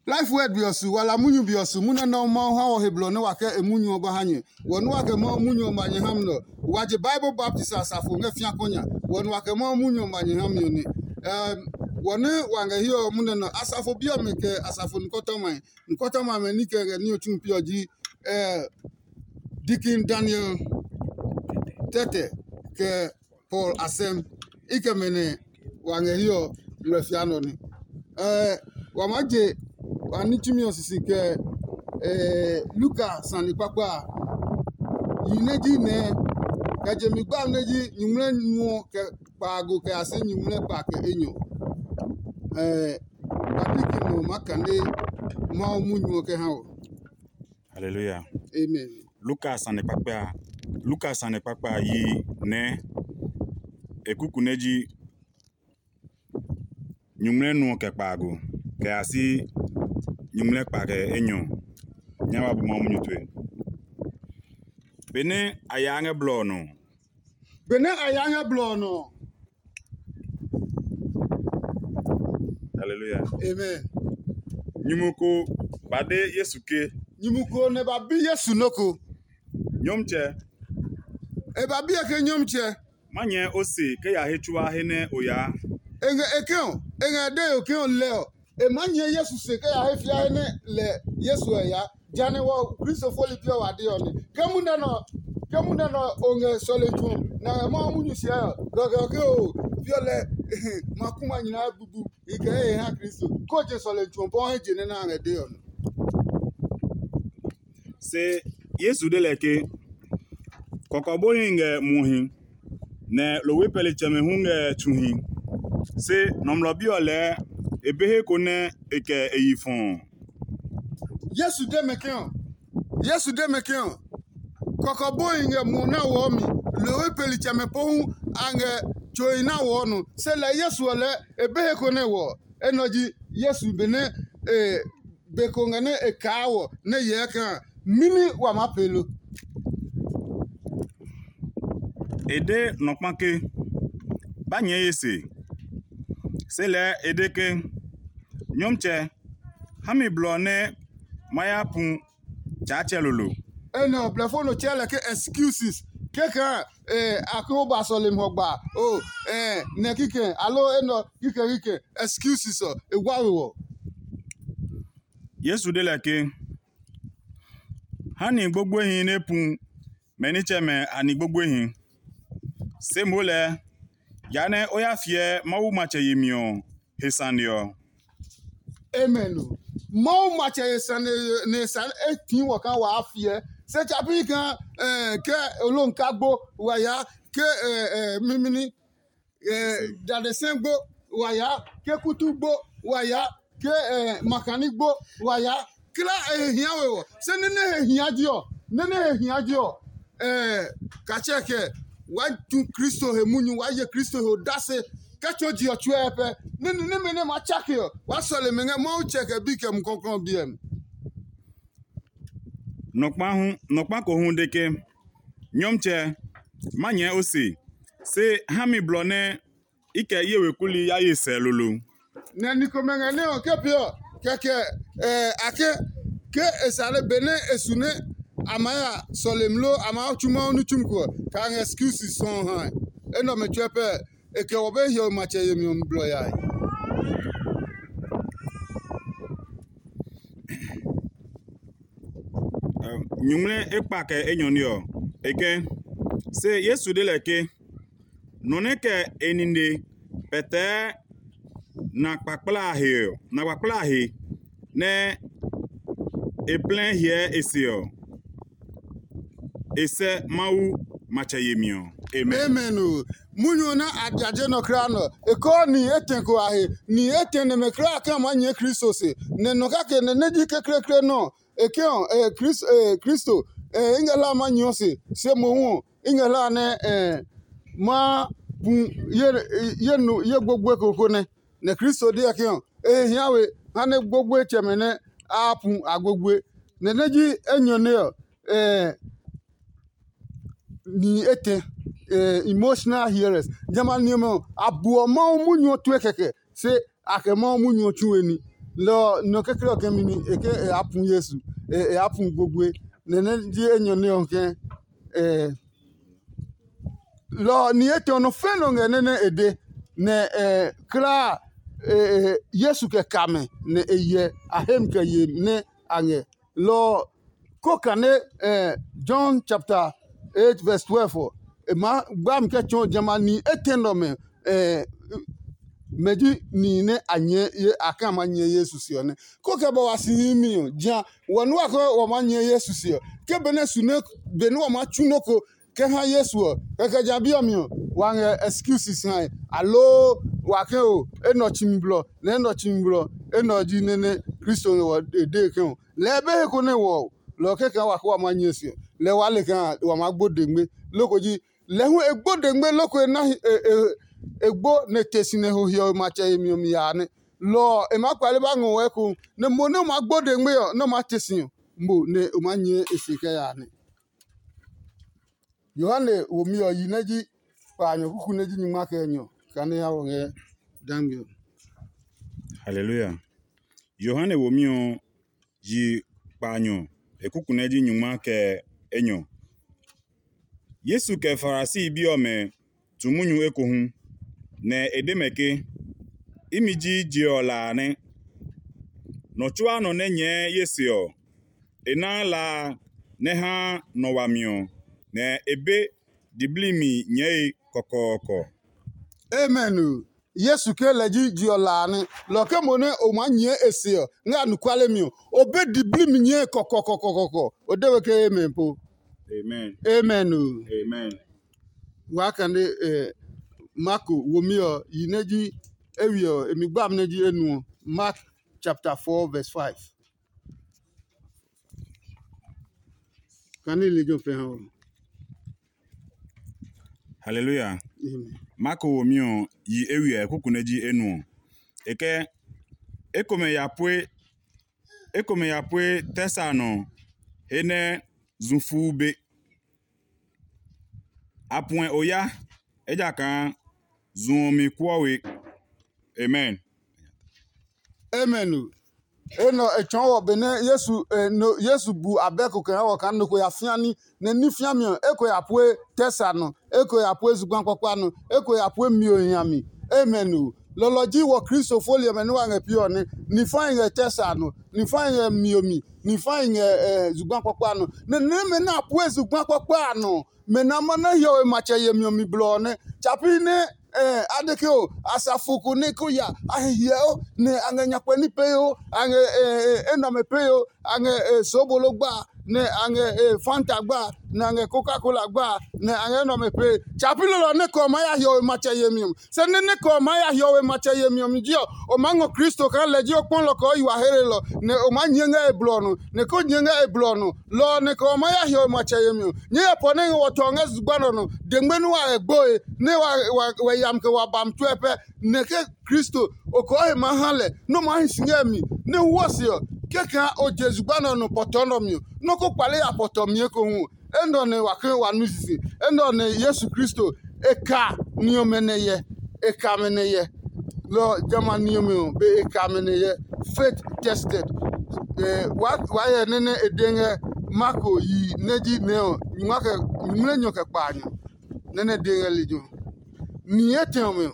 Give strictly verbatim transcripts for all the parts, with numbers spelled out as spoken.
Life Word be ɔ su, wala munyu be ɔ su, munyu nɛ Mawu ha wɔ he blɔ nɛ wa kɛ e munyu ɔ ba ha nyɛ. Wɔ nɛ wa kɛ Mawu munyu ɔ ma nyɛ ha mi nɛ ɔ, wa je Bible baptism asafo ngɛ fĩa kɔ nya. Wɔ nɛ wa kɛ Mawu munyu ɔ ma nyɛ ha mi ɔ nɛ. Wɔ nɛ wa ngɛ hiɛ ɔ munɛ nɔ, asafo bi ɔmɛ kɛ asafo nukɔtɔmae, nukɔtɔmae amɛ ní kɛ ngɛ ní ɔ tsu pi ɔ ji Deacon Daniel Tɛtɛ kɛ Paul Asɛm. I kɛ mɛ nɛ wa ngɛ hiɛ ɔ ngmlɛ fia nɔ ní. Wa maa je wa ní tsumi ɔ sisi kɛ Luka sane kpakpa a, yi nɛ ji nɛɛ, kɛ je mi gba nɛ ji nyuŋmlɛ nuɔ kɛ kpaago kɛ ya si nyuŋmlɛ kpa kɛ enyɔ. Wa bi ki nɔ maa kane Mawu munyu ɔ kɛ ha wɔ. Hallelujah. Amen. Luka sane kpakpa a, Luka sane kpakpa a yi nɛ e kuku nɛ ji nyuŋmlɛ nuɔ kɛ kpaago kɛ ya si nyuŋmlɛ kpa kɛ enyɔ. Nya wa bu Mawu munyu tue. Benɛ a yaa ngɛ blɔ ɔ nɔ, Benɛ a yaa ngɛ blɔ ɔ nɔ ɔ, Hallelujah. Amen. Nyumu ko ba de Yesu ke, Nyumu ko nɛ ba bi Yesu nɔ́ ko. Nyɔmtsɛ, E ba biɛ ke, Nyɔmtsɛ, ma nyɛɛ o se kɛ ya he tsuaa he nɛ o yaa. E ngɛ e ke ɔ, e ngɛ e de yo ke ɔ lɛ ɔ, e maa nyɛɛ Yesu se kɛ ya he fia he nɛ lɛ Yesu ɛ yaa. Jehanɛ wɔ Kristo foli pi ɔ wa de ɔ nɛ. Ke munɛ nɔ ke munɛ nɔ o ngɛ sɔlemi tsu ɔ, nɛ a ngɛ Mawu munyu siɛ ɔ, lɔ kɛ ɔ ke o piɔ lɛ ma ku ma nyina bubu i kɛ he ha Kristo. Ko je sɔlemi tsu ɔ bɔ he je nɛ nɛ a ngɛ de ɔ nɔ. Se Yesu de lɛ ke, kɔkɔbohi ngɛ muhi, nɛ lohwe pɛlitsɛmɛ hu ngɛ tsuhi. Se Nɔmlɔ Bi ɔ lɛɛ e be he ko nɛ e kɛ e yi fɔɔ. Yesu de mɛ ke ɔ, Yesu de mɛ ke ɔ, kɔkɔbohi ngɛ muɔ nɛ wɔɔ mi, lohwe pɛlitsɛmɛ pohu a ngɛ tsohi nɛ wɔɔ nɔ. Se lɛ Yesu ɔ lɛɛ e be he ko nɛ wɔɔ. Enɛ ɔ ji Yesu benɛ e be ko ngɛ nɛ e kaa wɔ nɛ hyɛ kɛ a, mɛni wa maa pee lo? E de nɔ kpa ke, ba nyɛɛ ye se. Se lɛɛ e de ke, Nyɔmtsɛ, ha mi blɔ nɛ ma ya pu Tsaatsɛ lolo. Enɛ ɔ, blɛfo nɔ tsɛɛ lɛ ke excuses. Kɛkɛ a, a ko ba sɔlemi hɔgba. O, nɛ kikɛ, alo enɛ ɔ, kikɛ kikɛ, excuses ɔ, e wa we wɔ. Yesu de lɛ ke, ha ni gbogboehi nɛ pu mɛ nitsɛmɛ a ni gbogboehi. Se moo lɛɛ, yaa nɛ o ya fiɛ Mawu matsɛ yemi ɔ he sane ɔ. Amen. O, Mawu matsɛ he sane nɛ e sane e tii wɔ kaa waa fiɛ. Se tsa pi kaa ke olonka gbo wa ya, ke mimini dadesɛ gbo wa ya, ke kutu gbo wa ya, ke makani gbo wa ya. Kla e he hia we ɔ, se nɛ nɛ he hia ji ɔ, nɛ nɛ he hia ji ɔ, katsɛ kɛ wa tu Kristo he munyu, wa ye Kristo he odase kɛ tso ji ɔ tsuɛ pɛ. Nɛ nɛ nɛmɛ nɛ ma tsake ɔ, wa sɔle mɛ ngɛ Mawu tsɛ kɛ bi kɛ mukɔklɔ biɛ mi. Nɔkpa hu nɔkpa ko hu de ke, Nyɔmtsɛ, ma nyɛɛ o se, se ha mi blɔ nɛ i kɛ ye weku li ya ye sɛ lolo. Nɛ ni komɛ ngɛ nɛ ɔ ke pee ɔ, kɛkɛ a ke ke e sale benɛ e su nɛ a maa ya sɔlemi lo a maa tsu Mawu ní tsumi ko ɔ, kaa ngɛ excuses sɔɔ hae. Enɛ ɔmɛ tsuɛ pɛ e kɛ wɔ be hiɔwe matsɛ yemi ɔ mi blɔ yae. Nyuŋmlɛ ekpa kɛ enyɔ ní ɔ, e ke, se Yesu de lɛ ke, nɔ nɛ kɛ e nine pɛtɛɛ na kpakpla a he ɔ, na kpakpla a he nɛ e plɛ hyɛ e se ɔ, e sɛ Mawu matsɛ yemi ɔ. Amen. Amen o. Munyu ɔ nɛ a jaje nɔ kulaa nɔ, e kɔɔ ni etɛ ko a he. Ni etɛ nɛmɛ kulaa a kɛ a maa nyɛɛ Kristo se. Nɛ nɔ kake nɛ nɛ ji kekleekle nɔ ɔ, e ke ɔ, Kristo, i ngɛ hlaa ma nyɛɔ se, se mohu ɔ, i ngɛ hlaa nɛ ma pu ye gbogboe ko ko nɛ. Nɛ Kristo deɔ ke ɔ, e he hia we ha nɛ gbogboetsɛmɛ nɛ a pu a gbogboe. Nɛ nɛ ji enyɔne ɔ, nihi etɛ, emotional hearers. Jamɛ a ni ɔmɛ ɔ, a buɔ Mawu munyu ɔ tue kɛkɛ, se a kɛ Mawu munyu ɔ tsu we ní. Lɔ ɔ, nɔ kekle ɔ kɛ mi ni e ke e ya pu Yesu, e ya pu gbogboe. Nɛ nɛ ji enyɔ nɛ ɔ kɛ lɔ ɔ ni etɛ ɔ nɔ fɛ̃ nɔ ngɛ nɛ nɛ e de. Nɛ klaa Yesu kɛ ka mɛ nɛ e hyɛ a he mi kɛ ye nɛ a ngɛ. Lɔ ɔ, ko kane John chapter eight verse twelve ɔ, e maa gba mi kɛ tsɔɔ jamɛ a nihi etɛ nɛ ɔmɛ mɛ ji nihi nɛ a nyɛɛ ye a kɛ a maa nyɛɛ Yesu se ɔ nɛ. Ko kɛ ba wa si hihi mi ɔ, ja wɔ nua ke wa maa nyɛɛ Yesu se ɔ, ke benɛ su nɛ benɛ wa maa tsu nɔ́ ko kɛ ha Yesu ɔ, kɛkɛ ja bi ɔ mi ɔ, wa ngɛ excuses hae, aloo wa ke o enɛ ɔ tsimi blɔ, nɛ enɛ ɔ tsimi blɔ, enɛ ɔ ji nɛ nɛ Kristo ngɛ wɔ e dee ke ɔ. Lɛɛ be he ko nɛ wɔ ɔ, lɔ ɔ kɛkɛ wa ke wa maa nyɛɛ se ɔ, lɛɛ waa le kaa wa maa gbo dengme. Loko ji lɛ hu e gbo dengme loko e na e gbo nɛ e te si nɛ ho hiɔwe matsɛ yemi ɔ mi yaa nɛ. Lɔ ɔ, e maa kpale ba ngɔ wɔ ekohu, nɛ mo nɛ o maa gbo dengme ɔ, nɛ o maa te si ɔ, mo nɛ o maa nyɛɛ e se kɛ yaa nɛ. Yohane womi ɔ yi nɛ ji kpaanyɔ kuku nɛ ji nyingma kɛ enyɔ kane ha wɔ ngɛ dangbe ɔ. Haleluya. Yohane womi ɔ yi kpaanyɔ e kuku nɛ ji nyingma kɛ enyɔ. Yesu kɛ Farisi bi ɔmɛ tu munyu ekohu, nɛ e de mɛ ke, imi ji je ɔ la a nɛ. Nɔ tsuaa nɔ nɛ nyɛɛ ye se ɔ, e naa la a nɛ haa nɔ wami ɔ, nɛ e be diblimi nyɛɛe kɔkɔɔkɔ. Amen o. Yesu ke lɛ ji je ɔ la a nɛ. Lɔ ke mo nɛ o maa nyɛɛ e se ɔ ngɛ anɔkuale mi ɔ, o be diblimi nyɛɛe kɔkɔkɔkɔkɔkɔ. O de we ke amen po. Amen. Amen o. Amen. Waa kane Marko womi ɔ yi nɛ ji ewi ɔ, e mi gba amɛ nɛ ji enu ɔ. Mark chapter four verse five. Kane lejɛ ɔ pɛ ha ɔ. Haleluya. Amen. Marko womi ɔ yi ewi ɔ, e kuku nɛ ji enu ɔ. E kɛ ekomɛ ya pue ekomɛ ya pue tɛ sa nɔ he nɛ zu fuu be. A puɛ oya, ejakaa zu ɔ mi kuɔ we. Amen. Amen o. Enɛ ɔ e tsɔɔ wɔ benɛ Yesu e no Yesu bu abɛ ko kɛ ha wɔ kaa nɔ ko ya fia ní, nɛ ní fiami ɔ eko ya pue tɛ sa nɔ, eko ya pue zugba kpakpa nɔ, eko ya pue mio nya mi. Amen o. Lɔlɔ ji wɔ Kristo foli ɔmɛ nɛ wa ngɛ piɔ ɔ nɛ, nifahi ngɛ tɛ sa nɔ, nifahi ngɛ mio mi, nifahi ngɛ zugba kpakpa nɔ. Nɛ nɛmɛ nɛ a pue zugba kpakpa a nɔ, mɛ nɛ a ma na hiɔwe matsɛ yemi ɔ mi blɔ ɔ nɛ. Tsapi nɛ a de ke o, asafo ko nɛ ko ya a he hyɛɔ nɛ a ngɛ nyakpɛ ní pee o, a ngɛ enɔmɛ pee o, a ngɛ sobolo gba, nɛ a ngɛ fanta gba, nɛ a ngɛ koka kola gba, nɛ a ngɛ enɔmɛ pee. Tsapi lolo ɔ nɛ kɛ ɔ maa ya hiɔwe matsɛ yemi ɔ. Se nɛ nɛ kɛ ɔ maa ya hiɔwe matsɛ yemi ɔ mi ji ɔ, o maa ngɔ Kristo kaa lɛ ji o kpɔlɔ kɛ o yi wa hlelɔ, nɛ o maa nyɛ ngɛ e blɔ ɔ nɔ, nɛ ko nyɛ ngɛ e blɔ ɔ nɔ. Lɔ ɔ nɛ kɛ ɔ maa ya hiɔwe matsɛ yemi ɔ, nyɛɛ ya pɔ nɛ ngɛ wɔ tɔ ngɛ zugba nɛ ɔ nɔ, dengme nɛ wa ngɛ gboe, nɛ wa yam kɛ wa bami tue pɛ, nɛ ke Kristo, o kɔɔ he maa ha lɛ, nɛ o maa hi si ngɛ mi, nɛ o wɔ se ɔ, kɛkɛ o je zugba nɛ ɔ nɔ pɔtɔ nɛ ɔ mi ɔ, nɔ́ ko kpale ya pɔtɔ mi ekohu ɔ, enɛ ɔ nɛ wa ke wa nu sisi. Enɛ ɔ nɛ Yesu Kristo e ka ni ɔmɛ nɛ hyɛ. E ka mɛ nɛ hyɛ. Lɔ ɔ, jamɛ a ni ɔmɛ ɔ, be e ka mɛ nɛ hyɛ. Faith tested. Wa hyɛ nɛ nɛ e de ngɛ Marko yi nɛ ji nɛ ɔ, nyuma kɛ nyuŋmlɛnyɔ kɛ kpaanyɔ. Nɛ nɛ de ngɛ lejɛ ɔ. Ni etɛ ɔmɛ ɔ,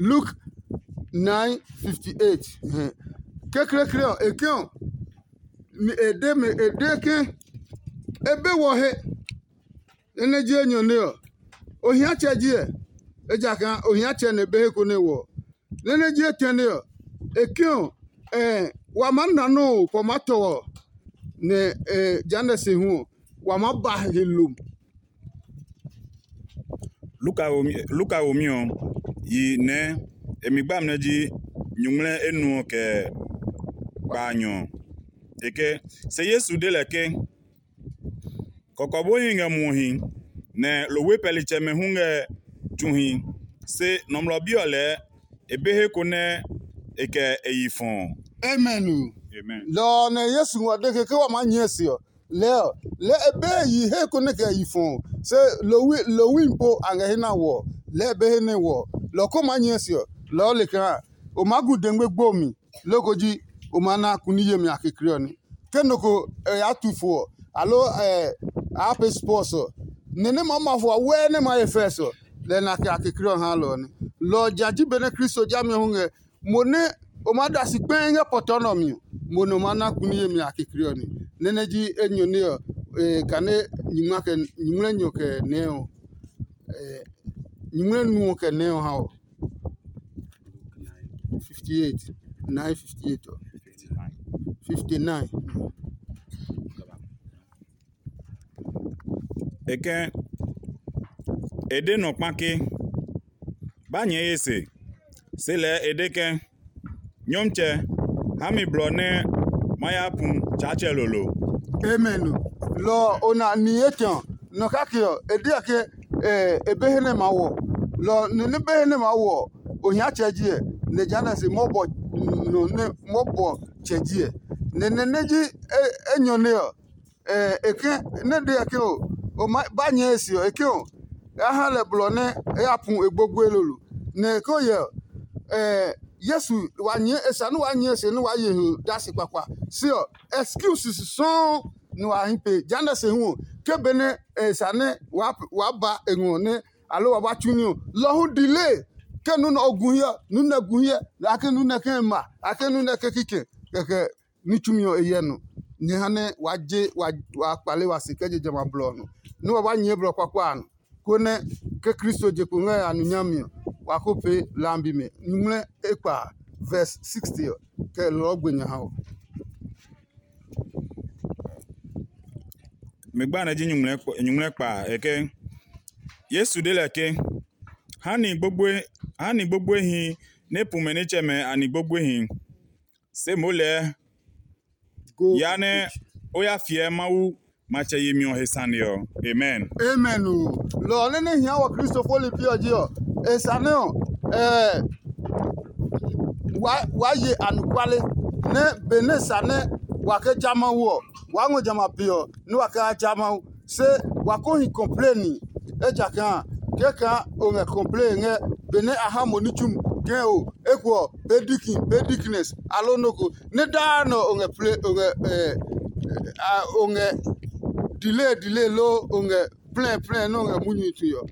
Luke nine fifty eight. Kekleekle ɔ, e ke ɔ, e de mɛ e de ke e be wɔ he. Nɛ nɛ ji enyɔne ɔ, ohiatsɛ ji ɛ, ejakaa ohiatsɛ nɛ be he ko nɛ wɔ. Nɛ nɛ ji etɛne ɔ, e ke ɔ, wa maa na nɔ́ ɔ kɛ ɔ maa tɔ ɔ, nɛ jehanɛ se hu ɔ, wa maa ba he lo. Luka womi ɔ yi nɛ e mi gba amlɛ ji nyuŋmlɛ enuɔ kɛ kpaanyɔ ɔ. E ke, se Yesu de lɛ ke, kɔkɔboohi ngɛ muɔhi, nɛ lohwe pɛlitsɛmɛ hu ngɛ tsuhi, se Nɔmlɔ Bi ɔ lɛɛ e be he ko nɛ e kɛ e yi fɔ ɔ. Amen o. Lɔ ɔ nɛ Yesu ngɔ de ke ke wa maa nyɛɛ se ɔ, lɛɛ ɔ, lɛɛ e be yi he ko nɛ kɛ yi fɔ ɔ, se lohwi po a ngɛ he na wɔ ɔ. lɛɛ be he nɛ wɔ ɔ, lɔ ko maa nyɛɛ se ɔ, lɔɔ le kaa o maa gu dengme gbo mi, loko ji o maa na kuni yemi a kekle ɔ ní. Ke nɔ ko e yaa tu fo ɔ, aloo a yaa pee spɔs ɔ, nɛ nɛ maa ma fɔ wɛɛ nɛ maa ye fɛs ɔ, lɛ na kɛ a kekle ɔ haa lɔ ɔ nɛ. Lɔ ɔ ja ji benɛ Kristo jami ɔ hu ngɛ mo nɛ o maa da si kpɛɛ ngɛ pɔtɔ nɛ ɔ mi ɔ, mo nɛ o maa na kuni yemi a kekle ɔ ní. Nɛ nɛ ji enyɔ nɛ ɔ, kane nyuŋmlɛnyɔ kɛ nɛɛ ɔ, nyuŋmlɛ nu ɔ kɛ nɛɛ ɔ ha ɔ. Fifty eight, nine fifty eight ɔ. Fifty nine. E kɛ e de nɔ kpa ke, ba nyɛɛ ye se. Se lɛɛ e de ke, nyɔmtsɛ, ha mi blɔ nɛ ma ya pu Tsaatsɛ lolo. Amen. Lɔ ɔ, o na ni etɛ ɔ, nɔ kake ɔ, e deɔ ke e be he nɛ ma wɔ. Lɔ ɔ, nɔ nɛ be he nɛ ma wɔ ɔ, ohiatsɛ ji ɛ, nɛ jehanɛ se mɔbɔ nɔ nɛ mɔbɔ tsɛ ji ɛ. Nɛ nɛ nɛ ji enyɔ nɛ ɔ, e ke nɛ de ɛ ke o, o ma ba nyɛɛ e se ɔ, e ke o, e ya ha lɛ blɔ nɛ e ya pu e gbogboe lolo. Nɛ e ko yɛ ɔ, Yesu wa nyɛɛ e sa nɛ waa nyɛɛ e se nɛ waa ye he dasi kpakpa. Se ɔ, excuse sɔuu nɛ wa hi pee. Jehanɛ se hu ɔ, ke benɛ e sa nɛ waa ba e ngɔ nɛ aloo wa ba tsu ní ɔ, lɔ hu delay. Ke nu nɛ o gu hiɛ, nu nɛ gu hiɛ, a ke nu nɛ ke ma, a ke nu nɛ ke kikɛ, kɛkɛ ní tsumi ɔ e hyɛ nɔ. Nyɛ ha nɛ waa je waa kpale wa se kɛ je jamɛ a blɔ ɔ nɔ, nɛ wa ba nyɛɛ blɔ kpakpa a nɔ, konɛ ke Kristo je kpo ngɛ a nu nyami ɔ, wa ko pee lambi mɛ. Nyuŋmlɛ ekpa a, verse sixty ɔ, kɛ lɔɔ gbe nya ha ɔ. Mi gba nɛ ji nyuŋmlɛ kpa a, e ke, Yesu de lɛ ke, ha ni gbogboehi nɛ pu mɛ nitsɛmɛ a ni gbogboehi, se moo lɛɛ ya nɛ o ya fiɛ Mawu matsɛ yemi ɔ he sane ɔ. Amen. Amen o. Lɔ ɔ nɛ nɛ hia wɔ Kristo foli pi ɔ ji ɔ, e sane ɔ, ɛɛ waa ye anɔkuale, nɛ benɛ sa nɛ wa ke ja Mawu ɔ, waa ngɔ jamɛ a be ɔ nɛ wa kɛ ya ja Mawu. Se wa ko hi kɔmpleni, ejakaa kɛkaa o ngɛ kɔmpleni ngɛ benɛ a ha mo ní tsumi ke o eko ɔ pee dikin pee diknɛs aloo nɔ́ ko, nɛ daa nɛ o ngɛ ple o ngɛ o ngɛ dile dile loo o ngɛ plɛ plɛ nɛ o ngɛ munyu tue ɔ,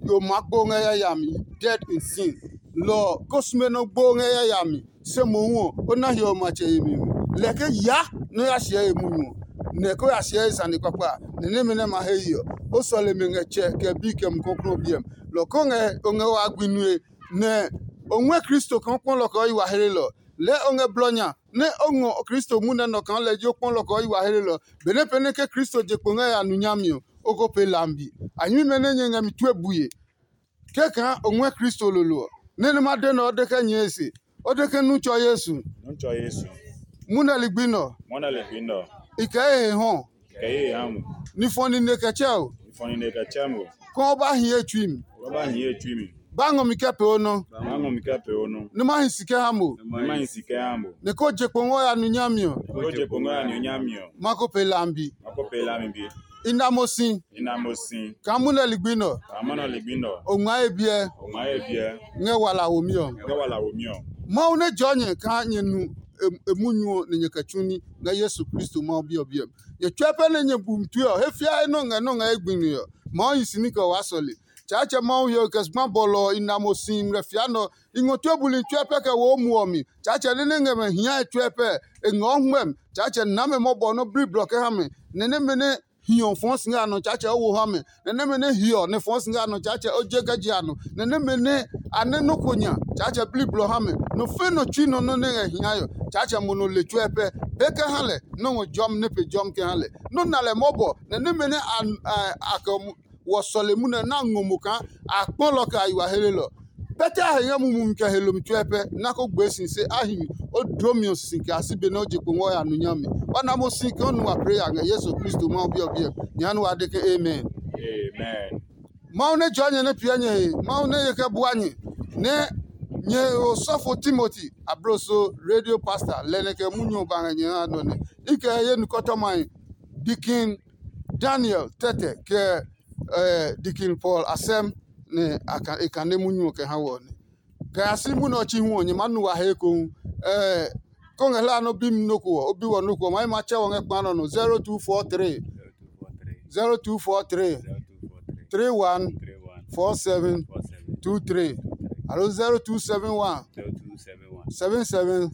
yo maa gbo ngɛ yayami, dead in sin. Lɔ ɔ, ko sume nɔ gbo ngɛ yayami, se mohu ɔ, o na hiɔwe matsɛ yemi mi. Lɛ ke ya nɛ o ya hyɛɛ e munyu ɔ, nɛ ko ya hyɛɛ e sane kpakpa a, nɛ nɛmɛ nɛ ma he ye ɔ, o sɔle mɛ ngɛ Tsɛ kɛ Bi kɛ Mumi Klɔuklɔu ɔ biɛ mi. Lɔ ko ngɛ o ngɛ wa gbi nue, nɛ o ngɔɛ Kristo kaa o kpɔ lɔ kɛ o yi wa hlelɔ. Lɛɛ o ngɛ blɔ nya nɛ o ngɔ Kristo munɛ nɔ kaa lɛ ji o kpɔ lɔ kɛ o yi wa hlelɔ. Benɛ pɛ nɛ ke Kristo je kpo ngɛ ya nu nyami ɔ, o ko pee lambi. A nyɛmimɛ nɛ nyɛ ngɛ mi tue bue. Kɛkaa o ngɔɛ Kristo lolo ɔ, nɛ nɛ ma de nɛ o de kɛ nyɛɛ se, o de ke nu tsɔ Yesu. Nu tsɔ Yesu. Munɛ ligbi nɔ. Munɛ ligbi nɔ. I kɛ ye he hɔ. Kɛ ye he ha mo. Ni fɔ nine kɛ tsɛ o. Ni fɔ nine kɛ tsɛ mo. Kɔɔ ba hi ye tsui mi. Kɔɔ ba hi ye tsui mi. Ba ngɔ mi kɛ pee o nɔ. Ba ngɔ mi kɛ pee o nɔ. Ni ma hi si kɛ ha mo. Ni ma hi si kɛ ha mo. Ni ko je kpo ngɔ ya nu nyami ɔ. Ko je kpo ngɔ ya nu nyami ɔ. Ma ko pee lambi. Ma ko pee lambi bi. I na mo si. I na mo si. Kaa munɛ ligbi nɔ. Kaa munɛ ligbi nɔ. O ngmaa ye biɛ. O ngmaa ye biɛ. Ngɛ wala womi ɔ. Ngɛ wala womi ɔ. Mawu nɛ jɔɔ nyɛ kaa nyɛ nu e munyu ɔ nɛ nyɛ kɛ tsu ní ngɛ Yesu Kristo Mawu Bi ɔ biɛ mi. Nyɛ tsuɛ pɛ nɛ nyɛ bu mi tue ɔ, he fiae nɔ ngɛ nɔ ngɛ ye gbi mi ɔ, Mawu hi si ní kɛ waa sɔle. Tsaatsɛ Mawu he ɔ kɛ zugba bɔlɔ ɔ i na mo si ngmlɛ fia nɔ. I ngɔ tue buli tsuɛ pɛ kɛ wo o muɔ mi. Tsaatsɛ nɛ nɛ ngɛ mɛ hiae tsuɛ pɛ, e ngɔɔ hwɛmi. Tsaatsɛ na mɛ mɔbɔ nɔ́ bli blɔ kɛ ha mɛ, nɛ nɛmɛ nɛ hiɔ fɔɔ si ngɛ a nɔ Tsaatsɛ o wo ha mɛ, nɛ nɛmɛ nɛ hiɔ nɛ fɔɔ si ngɛ a nɔ Tsaatsɛ o je kɛ je a nɔ, nɛ nɛmɛ nɛ a nɛ nɔ́ ko nya Tsaatsɛ bli blɔ ha mɛ. Nɔ fɛ̃ nɔ tsui nɔ nɔ́ nɛ ngɛ hiae ɔ, Tsaatsɛ mo nɔ le tsuɛ pɛ. Be kɛ ha lɛ nɔ́ ngɔ jɔmi nɛ pe jɔmi kɛ ha lɛ. Nɔ́ na lɛ mɔbɔ, nɛ nɛmɛ nɛ a kɛ wɔ sɔlemi nɛ na ngɔ mo kaa a kpɔ lɔ kɛ a yi wa helelɔ. Pɛtɛ a he ngɛ mumi mi kɛ he lomi tsuɛ pɛ, nɛ a ko gbee si se a hi mi, o dloo mi ɔ sisi kɛ a si be nɛ o je kpo ngɔ ya nu nyami. Wa na mo si kaa o nu wa pee ya ngɛ Yesu Kristo Mawu Bi ɔ biɛ mi. Nyɛ ha nɛ wa de ke, Amen. Amen. Mawu nɛ jɔɔ nyɛ nɛ piɛ nyɛ he, Mawu nɛ ye kɛ bua nyɛ, nɛ nyɛ he osɔfo Timoti, abloso radio pastor, lɛ nɛ kɛ munyu ɔ ba ngɛ nyɛ ha nɔ nɛ. I kɛ ye nukɔtɔmahi, Dikin Daniel tɛtɛ, kɛ Dikin Paul asɛm. nɛ e kane munyu ɔ kɛ ha wɔ nɛ. Kɛ ya si munyu ɔ tsi hu ɔ, nyɛ maa nu wa he ekohu. Ko ngɛ hlaa nɛ o bi mi nɔ́ ko ɔ, o bi wɔ nɔ́ ko ɔ, ma yi ma tsɛ wɔ ngɛ kpa nɔ nɔ. Zero two four three, zero two four three, three one four seven two three, alo zero two seven one, seven seven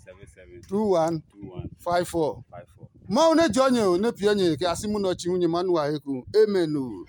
two one five four. Mawu nɛ jɔ nyɛ o, nɛ piɛ nyɛ kɛ ya si munyu ɔ tsi hu, nyɛ maa nu wa he ekohu. Amen o.